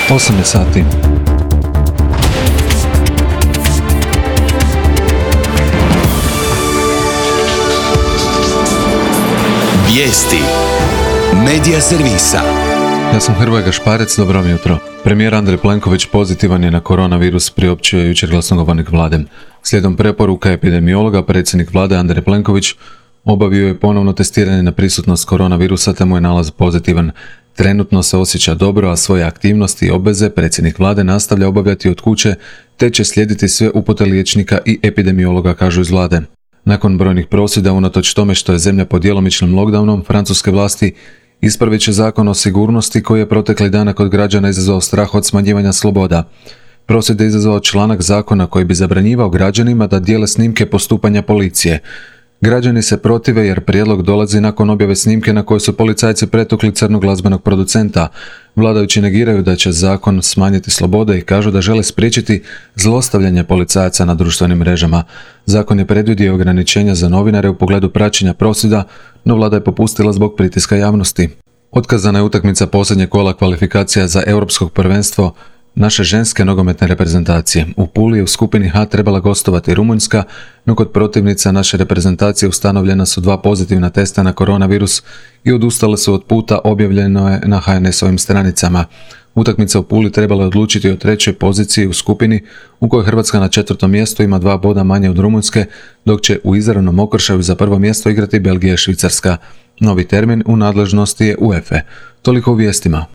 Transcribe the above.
8 je sati. Vijesti Medija servisa. Ja sam Hrvoje Gašparec, dobro vam jutro. Premijer Andrej Plenković pozitivan je na koronavirus, priopćio je jučer glasnogovornik vlade. Slijedom preporuka epidemiologa, predsjednik vlade Andrej Plenković obavio je ponovno testiranje na prisutnost koronavirusa te mu je nalaz pozitivan. Trenutno se osjeća dobro, a svoje aktivnosti i obveze predsjednik vlade nastavlja obavljati od kuće te će slijediti sve upute liječnika i epidemiologa, kažu iz vlade. Nakon brojnih prosvjeda, unatoč tome što je zemlja pod djelomičnim lockdownom, francuske vlasti ispravit će zakon o sigurnosti koji je protekli dana kod građana izazvao strah od smanjivanja sloboda. Prosvjed je izazvao članak zakona koji bi zabranjivao građanima da dijele snimke postupanja policije. Građani se protive jer prijedlog dolazi nakon objave snimke na kojoj su policajci pretukli crnog glazbenog producenta. Vladajući negiraju da će zakon smanjiti slobode i kažu da žele spriječiti zlostavljanje policajaca na društvenim mrežama. Zakon je predvidio ograničenja za novinare u pogledu praćenja prosvjeda, no vlada je popustila zbog pritiska javnosti. Otkazana je utakmica posljednjeg kola kvalifikacija za europsko prvenstvo naše ženske nogometne reprezentacije. U Puli je u skupini H trebala gostovati Rumunjska, no kod protivnica naše reprezentacije ustanovljena su 2 pozitivna testa na koronavirus i odustale su od puta, objavljeno je na HNS-ovim stranicama. Utakmica u Puli trebala je odlučiti o 3. poziciji u skupini u kojoj Hrvatska na 4. mjestu ima 2 boda manje od Rumunjske, dok će u izravnom okršaju za prvo mjesto igrati Belgija i Švicarska. Novi termin u nadležnosti je UEFA. Toliko u vijestima.